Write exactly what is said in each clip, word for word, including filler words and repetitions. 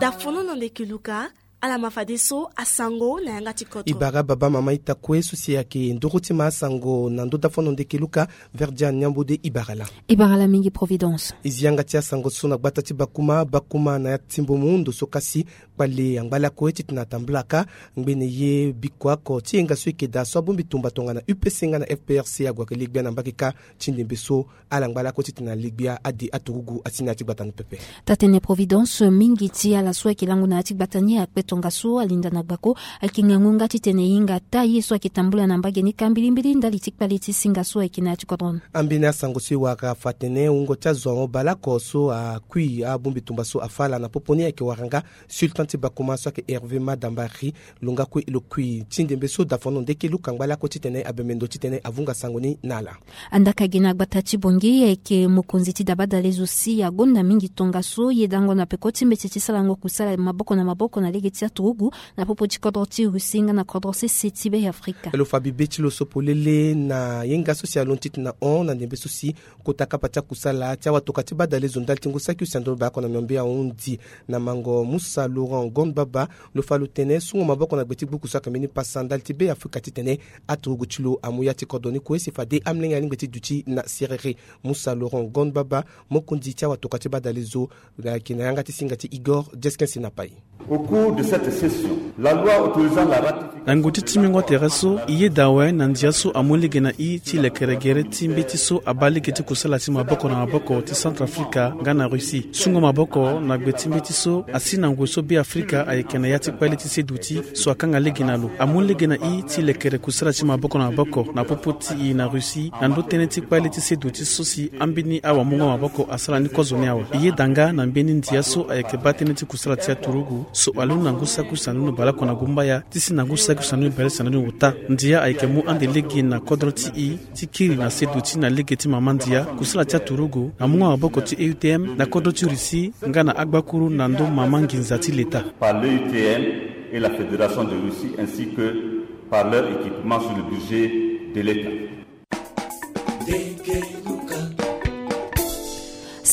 Dafono na ndeke luka. Ala ma fadeso asango na yanga ti kodro. Ibara baba mama ita kue so si ayeke ndoro ti ma asango na ndo dafono ndeke luka. Verdia niambode ibara la. Ibara la mingi providence. Izi yanga ti asango so na gbata ti bakuma bakuma na ya ti mbomu ndo so kasi kpale angba lakue titene atambula ka ngbene ye biko ako ti yenga so eke daa so abongbi tumba tongana upc nga na fprc ague ake legbia na mbage ka ti ndembe so. Ala ngba lakue titene alegbia ade aturugu asi na ya ti gbata ni pepe. Tatene providence mingi ti ala so ayeke lango na ya ti gbata ni akpe tongaso alinda na gbako. Ayeke ngangu nga titene e hinga ata ye so ayeke tambula na mbage ni ka mbilimbili ndali ti kpale ti singa so ayeke na ya ti kodro ni. Ambeni asango so e wara afa atene wungo ti azo ahon baleoko so akui abongbi tumba so afa ala na popo ni ayeke wara nga sultan ti bakuma so ayeke herve madambari. Lo nga kue lo kui ti ndembe so dafono ndeke luka ngba lakue titene abembe ndo titene avunga sango ni na ala. Andaka gi na gbata ti bongi ayeke mokonzi ti dabadale zo si agonda mingi tongaso yedango na peko ti mbeti ti salango kusala maboko na maboko na lege ti aturugu na popo ti kodro ti russie nga na kodro sese ti be afrika. Lo fa bibe ti lo so polele na yenga so si alondo titene ahon na ndembe so si kota kapa ti akusala ti awatoka ti badale zo ndali ti ngu saki use ando lo baleoko na miombe ahundi na mango musa laurent gond baba. Lo fa lo tene sungo maboko na gbe ti gbuku so ayeke mbeni pasa ndali ti be afrika titene aturugu ti lo amu ya ti kodro ni kue si fade amlenge alingbi ti duti na serere. Musa laurent gond baba mokonzi ti awatoka ti badale zo ayeke na yanga ti singa ti igor jeskin sinapai. Au cours de cette session, la loi autorisant la ratification. Na ngoti ti mingo tere so e yeda awe na ndia so amu lege na i ti lekere gere ti mbeti so abaa lege ti kusala ti maboko na maboko ti centrafrica nga na russie sungo maboko na gbe ti mbeti so asi na ngoi so be afrika ayeke na ya ti kpale ti seduti so akanga lege na lo amu lege na i ti lekere kusala ti maboko na maboko na popo ti i na russie na ndo tënë ti kpale ti seduti so si ambeni awamungo maboko asara ni kozo ni awe. E yeda nga na mbeni ndia so ayeke baa tënë ti kusala ti aturugu so alundu na ngu saki use andoni baleoko na gumbaya ti si na ngu saki use andoni baleoko na ndoni ota. Ndia ayeke mu ande lege na kodro ti i ti kiri na seduti na lege ti mama ndia kusala ti aturugu na mungo maboko ti eutm na kodro ti russie nga na agbakuru na ndo mama nginza ti leta. Par l'eutm et la fédération de russie ainsi que par leur équipement sur le budget de l'état.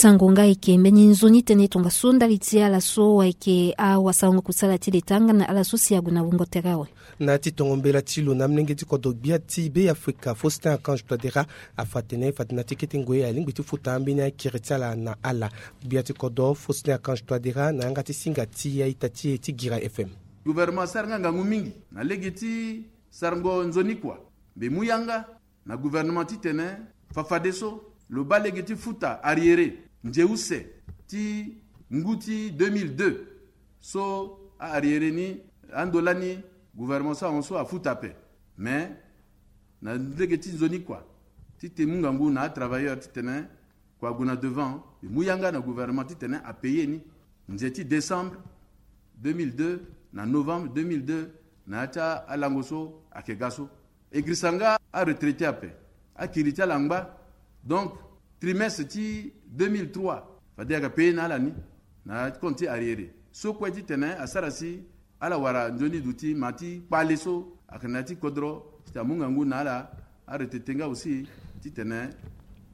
Sango nga eke mbeni nzoni tënë tongaso ndali ti ala so ayeke awasango kusala ti leta nga na ala so si ague na wungo tere awe. Na ya ti tongo mbela ti lo na amlenge ti kodro gbia ti be afrika faustin archange toadera afa atene fade na ti kete ngoi alingbi ti futa ambeni akiri ti ala na ala. Gbia ti kodro faustin archange toadera na yanga ti singa ti aita ti e ti gira fm. Gouvernement asara nga ngangu mingi na lege ti sarango nzoni kua. Mbi mu yanga na gouvernement titene fafadeso lo baa lege ti futa arriéré nze use ti ngu ti deux mille deux. So a-arriéré ni ando lani gouvernement so ahon so afuta ape. Mais na lege ti nzoni kua ti te mu ngangu na atravailleur titene kua ague na devant. Mbi mu yanga na gouvernement titene apaye ni nze ti décembre deux mille deux na novembre deux mille deux na ya ti alango so ayeke ga so. E girisa nga aretraité ape akiri ti ala angba. Donc trimestre ti deux mille trois fade ayeke paye na ala ni na compte ti arriéré so kue titene asara si ala wara nzoni duti ma ti kpale so ayeke na ya ti kodro titene amu ngangu na ala. Aretraité nga aussi titene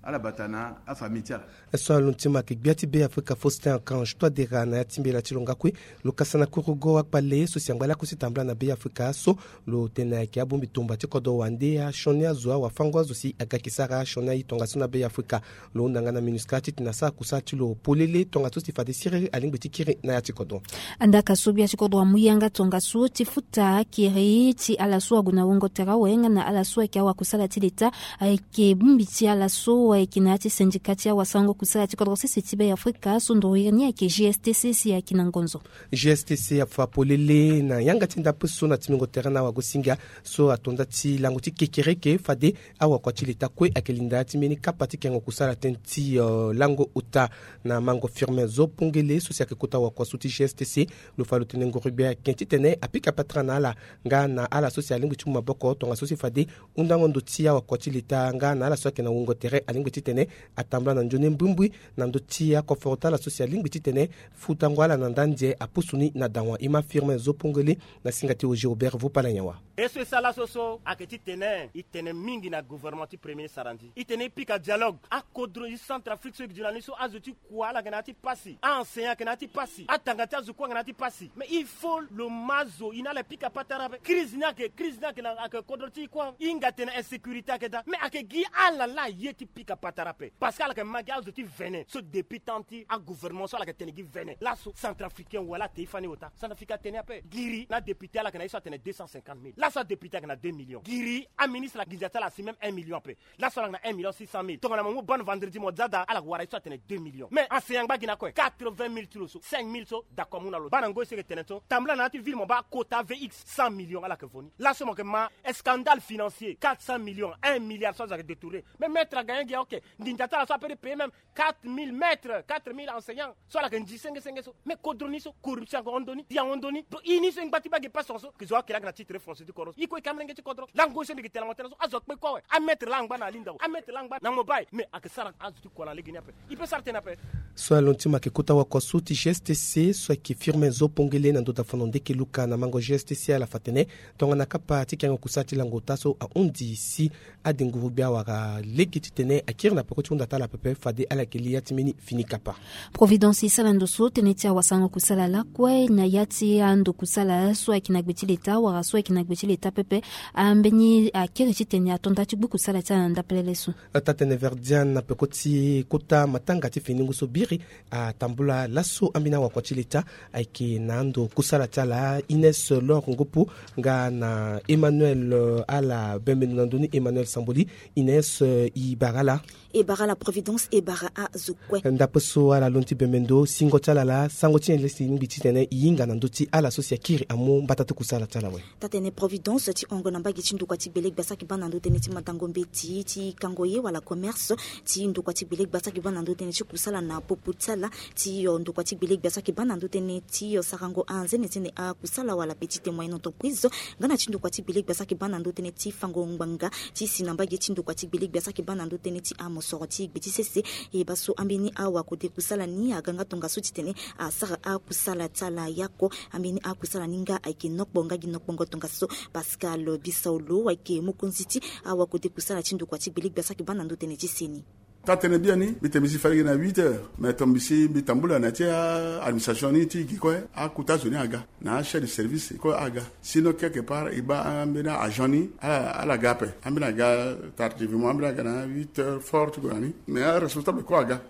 ala bata na afamille ti ala. So alondo ti ma ayeke gbia ti be afrika faustin archange toadera na ya ti mbela ti lo nga kue. Lo kasa na kurugo akpale so si angba lakue si tambula na be afrika so lo tene ayeke abongbi tumba ti kodro wande asioni azo awafango azo si aga yeke sara asioni aye tongaso na be afrika. Lo hunda nga na minusca titene asara kusala ti lo polele tongaso si fade siriri alingbi ti kiri na ya ti kodro. Andaka so gbia ti kodro amu yanga tongaso ti futa akiri ti ala so ague na wungo tere awe nga na ala so ayeke awakusala ti leta ayeke bongbi ti ala so ayeke na ya ti syndicat ti awasango kusala ti kodro sese ti be afrika so nduru iri ni ayeke gstc si ayeke na ngonzo. Gstc afa polele na yanga ti ndapue so na timingo tere na awagosinga so atonda ti lango ti kekereke fade awakua ti leta kue ayeke linda ya ti mbeni kapa ti kengo kusala tënë ti lango ota na mango firme zo pongele so si ayeke kota wakua so ti gstc. Lo fa lo tene ngoro gbia ayeke titene apika patara na ala nga na ala so si alingbi ti mu maboko tongaso si fade hundango ndo ti awakua ti leta nga na ala so ayeke na wungo tere alingbi Kpe titene atambula na nzoni mbumbui na ndö ti akoforo ti ala so si alingbi titene futango ala na nda nze apusu ni na dawa. E ma Firmin Zo Pongele na singa ti Oger Robert Vopala Nyawa. E so e sara laso so ayeke titene e tene mingi na gouvernement ti premier ministre arandi e tene e pika dialogue. Akodro ti Centrafrique so e gi gi na ni so azo ti kua ala yeke na ya ti pasi, a-enseignant ayeke na ya ti pasi, atanga ti azo kue ayeke na ya ti pasi. Mais il faut lo ma zo e na ala e pika patara ape. Crise ni ayeke, crise ni ayeke na, ayeke kodro ti e kue. E hinga atene insécurité ayeke daa, mais ayeke gi ala laa aye ti pika patara ape. Parce que ala yeke ma gi azo ti vene so depuis temps ti agouvernement so ala yeke tene gi vene. Laso Centrafricain wala ate e fani ota. Centrafricain atene ape. Giri na adéputé ala yeke na ye so atene deux cent cinquante mille. Laso adéputé ayeke na deux millions. Giri aministre ala gi ndia ti ala asi même un million ape. Laso ala yeke na un million six cent mille. Tongana mo mu ban vendredi mo za daa ala yeke wara ye so atene deux millions. Mais enseignant angba gi na kue quatre-vingt mille ti lo so, cinq mille so d'accord amu na lo. Bana ngoi so e yeke tene so tambula na ya ti ville mo baa quota V X cent millions ala yeke vo ni. Laso mo yeke ma scandale financier, quatre cent millions, un milliard so azo ayeke détourné. Mais maître agagna gi ya, ok. Nginza ti ala so ape ti payer même quatre mille maîtres, quatre mille enseignants so ala yeke nzi senge senge so. Mais kodro ni so corruption ayeke hon ndoni, di ahon ndoni. Donc i ni so e ngba ti baa gi pasi so ke zo akiri ayeke na titre foncier ti kodro so. I kue i yeke amolenge ti kodro. Lango so mbi yeke tene na mo tënë so azo akpe kue awe. Amaître laa angba na alinda awe. Amaître laa angba na mobile. Mais ayeke sara azo ti kua na lege ni ape. I peut sara tënë ape. So alondo ti mo ayeke kota wakoso ti G S T C so ayeke Firmin Zo Pongele na ndö ti afono ndeke luka na mango G S T C ala fa tene tongana kapa ti kiango kusala ti lango ota so ahon ndi si adinguru gbia wala lege titene akiri na peko ti hunda ti ala pepe fade ala yeke li ya ti mbeni fini kapa. Providence e sara ndo so tënë ti awasango kusala lakue na ya ti ando kusala so ayeke na gbe ti leta wala so ayeke na gbe ti leta pepe. Ambeni akiri titene ato nda ti gbu kusala ti ala na ndapelele so. Taa-tënë Verdian na peko ti kota matanga ti fini ngu so biri atambula laso ambeni awakua ti leta ayeke na ando kusala ti ala Ines Lor Ngopo nga na Emmanuel, eh, ala bembe ndo na ndö ni Emmanuel Samboli. Ines, eh, e bara ala. E bara ala Providence, e bara azo kue. Ndape so ala londo ti bembe ndo singo ti ala laa sango ti nyen le si e lingbi titene e hinga na ndö ti ala so si akiri amu mbata ti kusala ti ala awe. Taa-tënë Providence ti hongo na mbage ti ndokua ti gbele gbia so ayeke baa na ndö tënë ti madango mbeti ti kango ye wala commerce ti ndokua ti gbele gbia so ayeke baa na ndö tënë ti kusala na popo ti ala ti, eh, ndokua ti gbele gbia so ayeke baa na ndö tënë ti, eh, sarango anzene ti tene akusala wala petite moyenne entreprise nga na ti ndokua ti gbele gbia so ayeke baa na ndö tënë ti fango ngbanga ti si na mbage ti ndokua ti gbele gbia so ayeke baa na ndö tënë ti amosoro ti gbe ti sese. E baa so ambeni awakode kusala ni aga nga tongaso titene asara akusala ti ala ya oko. Ambeni akusala ni nga ayeke nokpo nga gi nokpongo tongaso Pascal Bisaolo ayeke mokonzi ti awakode kusala ti ndokua ti gbele gbia so ayeke baa na ndö tënë ti seni. Taa-tënë biani mbi tene mbi si fade gi na huit heures mais tongana mbi si mbi tambula na ya ti administration ni ti gi kue akota zo ni aga na achef de service kue aga. Sinon quelque part e baa ambeni agent ni ala, ala ga ape. Ambeni aga tardivement, ambeni aga na huit heures fort ti gue na ni. Mais aresponsable kue aga.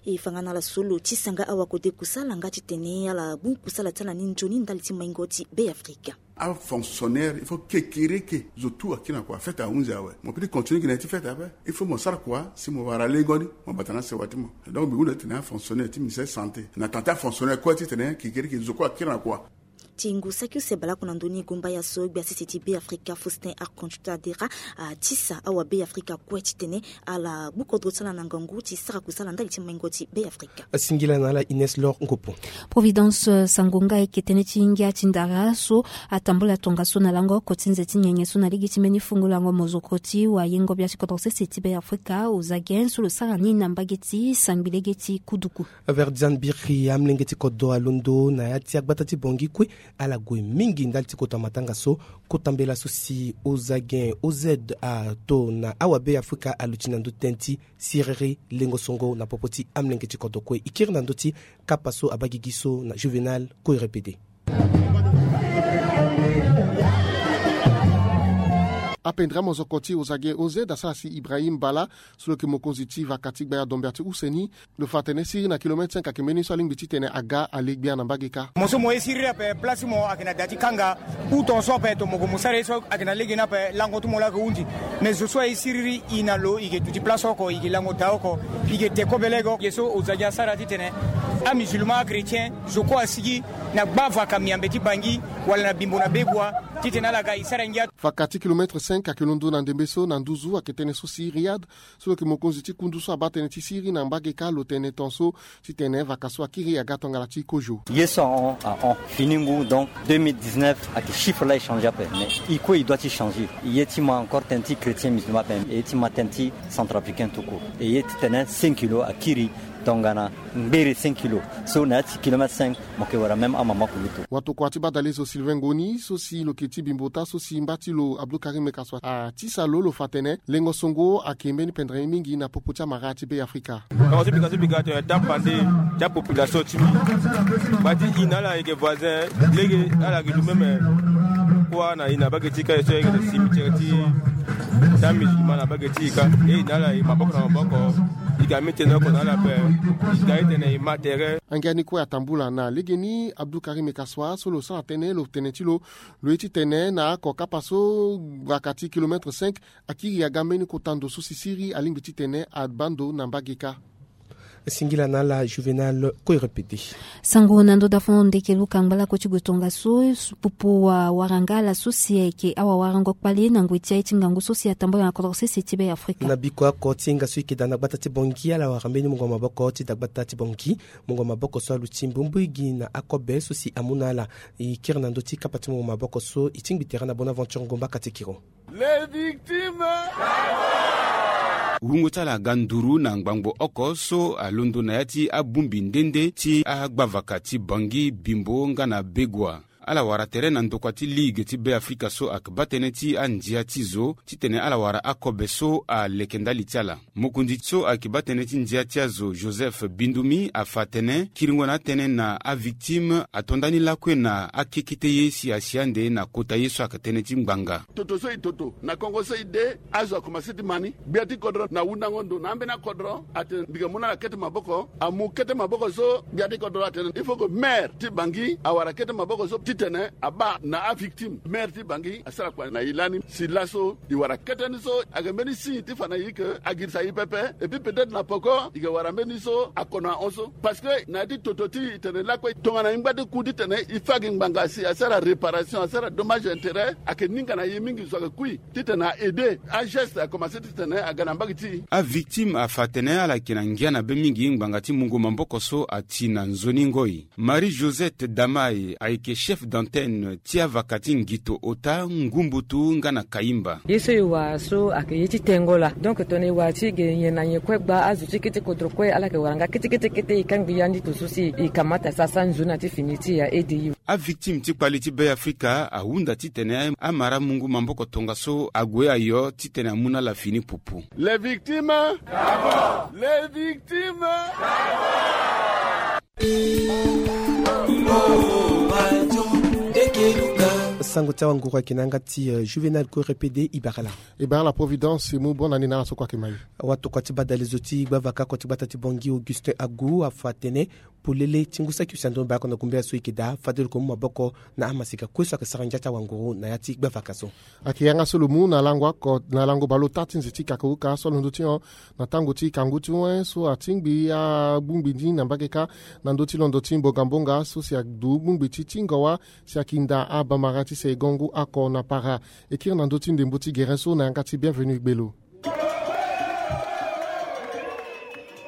E fa nga na ala so lo tisa nga awakode kusala nga titene ala gbu kusala ti ala ni nzoni ndali ti maingo ti Beafrika. Afonctionnaire il faut kekereke zo tout akiri na kua fête ahunzi awe. Mo peut ti continue gi na ya ti fête ape. Il faut mo sara kua si mo wara lengo ni mo bata na sewa ti mo. Donc mbi hunda titene afonctionnaire ti ministère santé na tanga ti afonctionnaire kue titene kekereke zo kue akiri na kua. Ti ngu saki use baleoko na ndö ni gumbaya so gbia sese ti Beafrika Faustin Archange Touadera atisa awabeafrika kue titene ala gbu kodro ti ala na ngangu ti sara kusala ndali ti maingo ti Beafrika. Singila na ala Ines Lor Ngopo. Providence, eh, sango nga ayeke tënë ti ngia ti ndara so atambula tongaso na lango oko ti nze ti nyenye so na lege ti mbeni fungo lango mozoko ti wayengo bia ti kodro sese ti Beafrika Ozagen so lo sara ni na mbage ti sangbi lege ti Kuduku. Verdian biri amolenge ti kodro alondo na ya ti agbata ti Bangui kue ala gue mingi ndali ti kota matanga so. Kota mbela so si Ozagen O Z ato na awabeafrika aluti na ndö ti tënë ti siriri lengo songo na popo ti amolenge ti kodro kue. E kiri na ndö ti kapa so abaa gigi so na Juvenal Koirepede. Apendra mozoko ti Ozagen O Z asara si Ibrahim Bala so lo yeke mokonzi ti vaka ti gbaya dombia ti use ni. Lo fa atene siriri na kilomètre cinq ayeke mbeni so alingbi titene aga ale gbia na mbage kâ. Mo so mo ye siriri ape place ti mo ayeke na da ti kanga. Ou ton so ape to mo gue mo sara ye so ayeke na lege ni ape lango ti mo laa ayeke hunzi. Mais zo so aye siriri e na lo e yeke duti place oko e yeke lango daa oko. E yeke te kobe lege oko. Ye so Ozagen asara titene Amusulman, achrétien, zo kue asigi na gba vaka miambe ti Bangi wala na Bimbo na Begoua, titene ala ga e sara ngia. Vaka ti kilomètre cinq ayeke londo na ndembe so na nduzu ayeke tënë so si Riyad, so lo yeke mokonzi ti kundu so abaa tënë ti siri na mbage kâ lo tene ton so titene vaka so akiri aga tongana ti kozo. Ye so ahon ahon fini ngu, donc deux mille dix-neuf ayeke chiffre la echange ape, mais e kue e doit ti changer. Ye ti ma encore tënë ti chrétien musulman ape, e ye ti ma tënë ti centrafricain tout court. E ye titene cinq kilos akiri tongana ngbere cinq kilos so na ya ti kilomètre cinq mo yeke wara même amama kulutu. Watokua ti badalezo Sylvain Ngoni so si lo yeke ti Bimbo ota so si mba ti lo Abdou Karim Kaswa atisa lo, lo fa tene lengo songo ayeke mbeni pendere mingi na popo ti amara ti Be Afrika. Tongana so mbi ga so mbi ga tene tapande ti apopulation ti mbi. Mba ti e na ala ayeke voisin, lege ala yeke lu même kua na e na mbage ti e kâ, e so ayeke na cimetière ti ti amusulman na mbage ti e kâ. E na ala e maboko na maboko. E ga mbi tene oko na ala ape. E ga e tene e ma tere. Angia ni kue atambula na legeni Abdou Karim Kaswa so lo sara tënë lo tene ti lo, lo ye titene na oko kapa so vaka ti kilomètre cinq akiri aga mbeni kota ndo so si siri alingbi titene abaa ndo na mbage kâ. Singila na ala Juvenal Koirepede. Sango na ndo dafo ndeke luka ngbalako ti gue tongaso, pupu wa waranga ala so si ayeke awawarango kpale na ngoi ti aye ti ngangu so si atambula na kodro sese ti Be Afrika. Na biko oko ti hinga so e yeke daa na gbata ti Bangui, ala wara mbeni mungo maboko ti daa gbata ti Bangui. Mungo maboko so aluti mbombo igi na akobe so si amu na ala. E kiri na ndö ti kapa ti mungo maboko so e tingbi tere na Bonaventure Ngomba Katikiro. Les victimes. Wungo ti ala aga nduru na ngbangbo oko so alondo na ya ti abongbi nde nde ti agbavaka ti Bangui, Bimbo nga na Begoua. Ala wara tere na ndokua ti Ligue ti Be Afrika so ayeke baa tënë ti andia ti zo titene ala wara akobe so aleke ndali ti ala. Mokonzi so ayeke baa tënë ti ndia ti azo, Joseph Bindumi, afa atene kiringo na atënë na avictime ato ndani lakue na akekete ye si asi ande na kota ye so ayeke tënë ti ngbanga. Toto so e toto na kongo so e de, azo akomanse ti ma ni. Gbia ti kodro na hundango ndo na ambeni akodro atene mbi yeke mu na ala kete maboko. Amu kete maboko so gbia ti kodro atene il faut que maire ti Bangui awara kete maboko so titene abaa na avictime. Maire ti Bangui asara kua na e lani si laso e wara kete ni so ayeke mbeni signe ti fa na e ke agirisa e pepe. Et puis peut-être na poko e ke wara mbeni so akono ahon so. Parce que na ya ti toto ti e tene lakue tongana e ngba ti ku titene e fa gi ngbanga si asara réparation, asara dommage intérêt, ayeke ninga na e mingi so ayeke kui titene a aider ageste akomanse titene aga na mbage ti e. Avictime afa atene ala yeke na ngia na be mingi ngbanga ti mungo maboko so ati na nzoni ngoi. Marie Josette Damaye ayeke chef d'antenne ti avaka ti Ngito, Ota, Ngumbutu nga na Kayimba. Ye so e wara so ayeke ye ti tengo laa. Donc tongana e wara ti ge nyen na nyen kue gba azo ti kete kodro kue ala yeke wara nga kete kete kete e kangbi yandi to so si e kamata sasa nzoni na ti fini ti e a aide e. Avictime ti kpali ti Be Afrika ahunda titene amara mungo maboko tongaso ague ayo titene amu na ala fini pupu. Les victimes. Les victimes. Sango ti awanguru ayeke na yanga ti, eh, Juvenal Korepede Ibarala. Ibarala Providence, e mu bonne année na ala so kue ayeke ma e. Awatokua ti badalezo ti gbavaka oko ti gbata ti Bangui, Augustin Agou, afa atene polele ti ngu saki use na ndoni baleoko na gumbela so e yeke daa fade lo yeke mu maboko na amaseka kue so ayeke sara ngia ti awanguru na ya ti gbavaka so. Ayeke yanga so lo mu na lango oko na lango baleota ti nze ti kakauka so alondo ti hon na tango ti kangu ti wen so atingbi abongbi ni na mbage kâ na ndö ti londo ti mbongambonga so si adu bongbi ti tingo wa si akinda abamara ti seigon ngu oko na para. E kiri na ndö ti ndembo ti gere so na yanga ti Bienvenu Gbelo.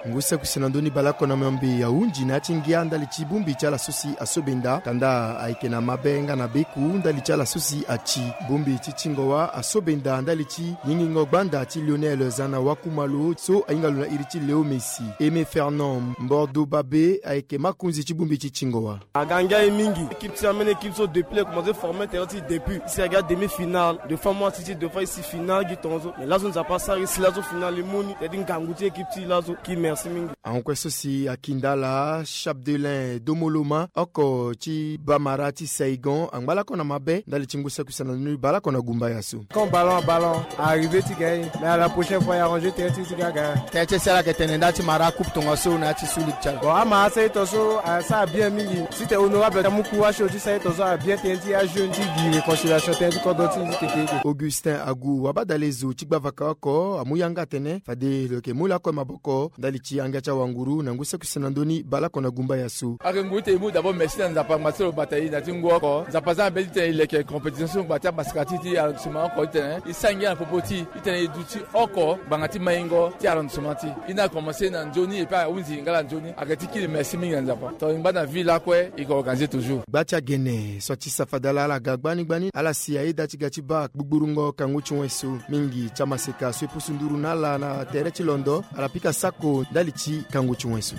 Ngu saki use na ndö ni baleoko na miombe ahunzi na ya ti ngia ndali ti bongbi ti ala so si asobenda kanda ayeke na mabe nga na beku ndali ti ala so si ati. Bongbi ti tingo wa asobenda ndali ti yingingo gbanda ti Lionel Zana Wakumalo so ahinga lo na iri ti Léo Messi. Aimé Fernand Mbordo Babe ayeke makonzi ti bongbi ti tingo wa. Aga ngia ye mingi. Équipe ti ambeni équipe so depuis le commencé former terrain ti depuis. Si aga demi-finale, deux fois mo asi ti deux fois e si finale gi tongaso. Mais laso Nzapa asara e si laso finale e mu ni. Teti ngangu ti équipe ti e laso. Ki merci mingi. Ahon kue so si akinda ala Chapdelain Domoloma oko ti bamara ti Saigon angba lako na mabe ndali ti ngu saki use na ndö ni baleoko na gumbaya so. Quand ballon à ballon, arrivé ti gagner. Mais à la prochaine fois, e arranger terrain ti e ti ga gagner. Tënë ti e si ala yeke tene nda ti mara coupe tongaso na ya ti Sud Ligue ti ala. Bon, ama asara e tongaso asara bien mingi. Si tene honorable amu courage so ti sara e tongaso abien tënë ti ajeune ti gi réconciliation tënë ti kodro ti e ti keke. Augustin Agou wabadalezo ti gbavaka oko amu yanga atene fade lo yeke mu lakue maboko ndali Ti yanga ti awanguru na ngu saki sena ndoni baleoko na gumba ya so. Ake ngu ti tene e mu d'abord merci na Nzapa ngba ti lo bata e na ti ngu oko. Nzapa aza na be ti tene e leke compétition so ngba ti amasaka ti ti arrondissement oko ti tene e sara ngia na popo ti e ti tene e duti oko ngbanga ti maingo ti arrondissement ti e. E ni akomense na nzoni et puis ahunzi lingala nzoni. Ake ti kiri merci mingi na Nzapa. Tongana e ngba na ville lakue e ko organiser toujours. Gba ti agene so ti safada laa ala ga gbani gbani ala si ayeda ti ga ti baa gbugburu ngo kangu ti wen so mingi ti amaseka so e pusu nduru na ala na tere ti londo ala pika sako ndali ti kangu ti wen so.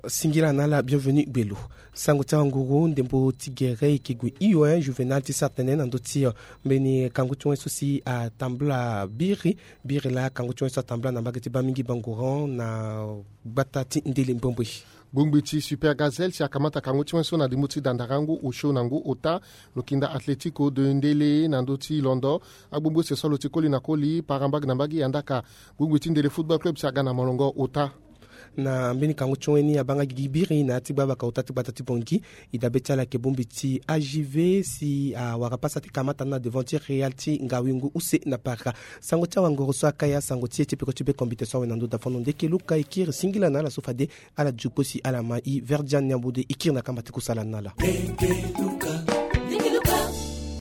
Singila na ala bienvenu gbelo. Sango ti awanguru ndembo ti gere e ke gue hio, eh, Juvenal ti sara tënë na ndö ti, eh, mbeni kangu ti wen so si atambula biri. Biri laa kangu ti wen so atambula na mbage ti baa mingi bangoran na gbata ti ndele mbombo. Bongbi ti Super Gazelle si akamata kangu ti wen so na ndimbu ti dandarangu osio na ngu ota. Lo kinda Atlético de Ndele na ndö ti londo. Agbongbi use so alo ti koli na koli para mbage na mbage e andaka bongbi ti Ndele Football Club si aga na molongo ota. Na mbeni kangu ti wen ni abaa nga gigi biri na ya ti gbabaka ota ti gbata ti Bangui. E dabe ti ala ayeke bongbi ti A J V si awara pasa ti kamata na devant ti Real ti ngawingu use na para. Sango ti awangoro so akaya sango ti e ti peko ti be kombite so awe na ndö dafono ndeke luka e kiri singila na ala so fade ala dio kpo si ala ma e. Verdian Niambode e kiri na kamba ti kusala na ala.